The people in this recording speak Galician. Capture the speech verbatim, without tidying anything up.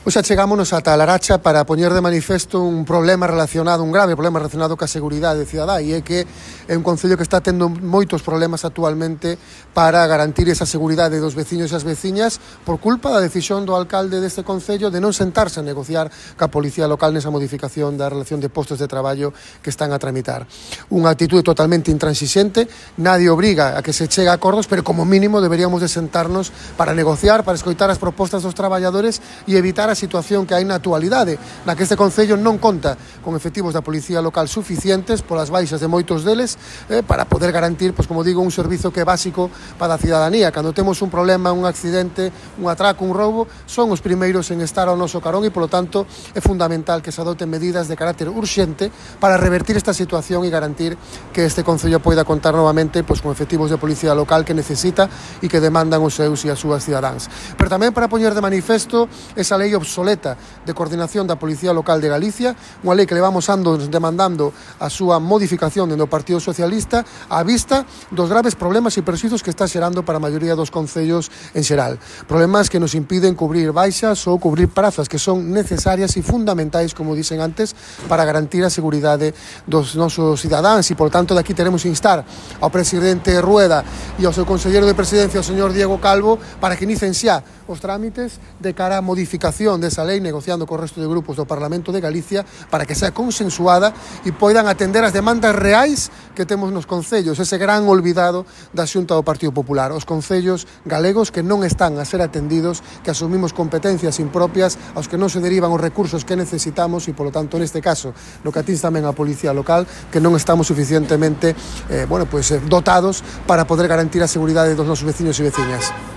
Hoxe chegámonos ata a Laracha para poñer de manifesto un problema relacionado, un grave problema relacionado ca seguridade cidadá, e é que é un concello que está tendo moitos problemas actualmente para garantir esa seguridade dos veciños e as veciñas por culpa da decisión do alcalde deste concello de non sentarse a negociar ca policía local nesa modificación da relación de postos de traballo que están a tramitar. Unha actitude totalmente intransixente, nadie obriga a que se chegue a acordos, pero como mínimo deberíamos de sentarnos para negociar, para escoitar as propostas dos traballadores e evitar a situación que hai na actualidade, na que este concello non conta con efectivos da policía local suficientes polas baixas de moitos deles eh, para poder garantir, pois como digo, un servizo que é básico para a cidadanía. Cando temos un problema, un accidente, un atraco, un roubo, son os primeiros en estar ao noso carón e, polo tanto, é fundamental que se adoten medidas de carácter urxente para revertir esta situación e garantir que este concello poida contar novamente pois, con efectivos de policía local que necesita e que demandan os seus e as súas cidadáns. Pero tamén para poñer de manifesto esa lei obsoleta de coordinación da Policía Local de Galicia, unha lei que levamos anos demandando a súa modificación dentro do Partido Socialista á vista dos graves problemas e perxuizos que está xerando para a maioría dos concellos en xeral. Problemas que nos impiden cubrir baixas ou cubrir prazas que son necesarias e fundamentais, como dicen antes, para garantir a seguridade dos nosos cidadáns e, por tanto, daqui teremos instar ao presidente Rueda e ao seu conselleiro de presidencia, o señor Diego Calvo, para que inicien xa os trámites de cara á modificación desa lei, negociando co resto de grupos do Parlamento de Galicia para que sea consensuada e poidan atender as demandas reais que temos nos concellos, ese gran olvidado da Xunta do Partido Popular, os concellos galegos que non están a ser atendidos, que asumimos competencias impropias aos que non se derivan os recursos que necesitamos e, polo tanto, neste caso, no que atins tamén a Policía Local, que non estamos suficientemente eh, bueno, pues, dotados para poder garantir a seguridade dos nosos veciños e veciñas.